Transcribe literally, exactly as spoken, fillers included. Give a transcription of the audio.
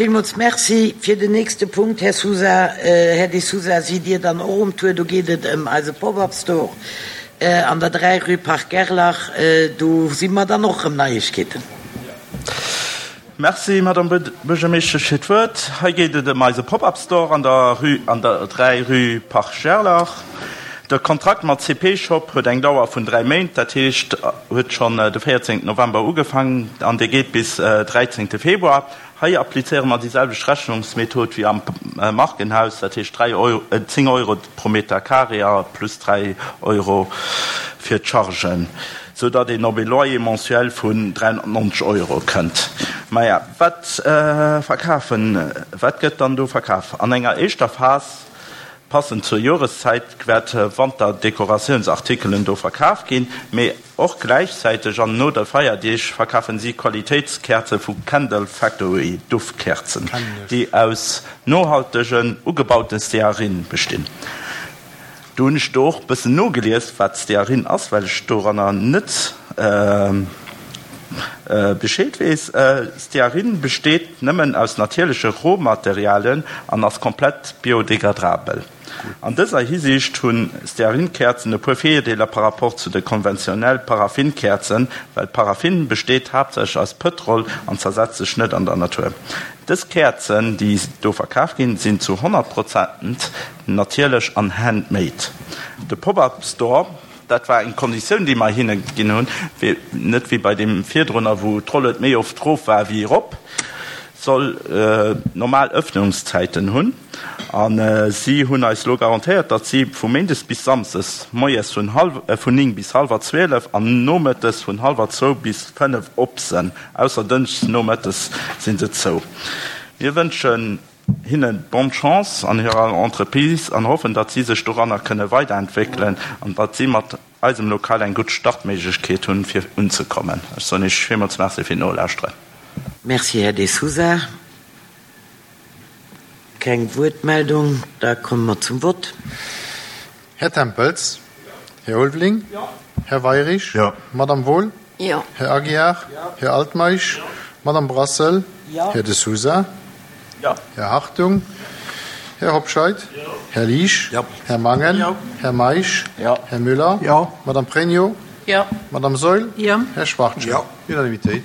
Villmools Merci. Fir den nächste Punkt, Här Sousa, Här De Sousa, sidd Dir dann och um Tour. Do geet et ëm eise Pop-up Store an der dräi rue Parc Gerlach. Do si mer dann och erëm Neiegkeeten. Merci, Madame Buergermeeschtesch, fir d'Wuert. Hei geet et ëm eise Pop-up Store an der rue, an der dräi rue Parc Gerlach. De Kontrakt mat C P Shop huet eng Dauer vun dräi Méint, dat heescht huet schonn de véierzéngten November ugefaangen an dee geet bis dräizéngte Februar. Hei applizéiere mer déi selwecht Rechnungsmethod wéi am Markenhaus, dat heescht dräi Euro, zéng Euro pro Meter carré a plus dräi Euro fir d'Chargen, sou datt een op ee Loyer mensuel vun dräihonnertneunzeg Euro kënnt. Maja, wat verkafen, wat gëtt dann do verkaf? An enger éischter Phas, passend zur Joreszäit, wäerte Wanterdekoratiounsartikelen do verkaf ginn, mee och gläichzäiteg an no de Feierdeeg verkafen si Qualitéitskäerze vu Candle Factory, Duftkäerzen, déi aus nohaltegen, ugebaute Stearin bestinn. Do hunn ech do och bëssen nogelies, wat Stearin ass, well ech doranner net Bescheed weess. Stearin besteet nëmmen aus natierleche Rohmaterialien an ass komplett biodegradrabel. An dëser Hisiicht hu Stearinkäerzen e puer Virdeeler par rapport zu de konventionell Paraffinkäerzen, well Paraffin besteet haaptsächlech aus Pëtrol an zersetzt sech net an der Natur. Dës Käerzen, déi do verkaf ginn, sinn zu honnert Prozent natierlech an handmade. De Pop-up Store, dat war eng Konditioun, déi mer hinne ginn hunn, fir net wéi bei deem virdrunner, wou d'Rollued méi oft rof war wéi erop, soll normal Ëffnungszäiten hunn. A si hunn eis elo garantéiert, datt si vu méindes bis samsdes moies vun vun néng bis hallwer zwielef an nomëttes vun hallwer zwou bis fënnef op sinn. Ausser dënschdes nomëttes si se zou. Mir wënschen hinne bonne chance an hirer Entreprise an hoffen, datt si sech doranner kënne weiderentwéckelen an datt si mat eisem Lokal eng gutt Startméiglechkeet hunn, fir unzekommen. Ech soen Iech villmools Merci fir d'Nolauschteren. Merci, Här De Sousa. Keng Wuertmeldung, da komme mer zum Vott. Här Tempels? Här Ulveling? Här Weirich? Madame Wohl? Här Aguiar? Här Altmeisch? Madame Brassel? Här De Sousa? Här Hartung? Här Hobscheit? Här Liesch? Här Mangen? Här Meisch? Här Müller? Madame Pregno? Madame Saeul? Här Schwachtgen? Unanimitéit.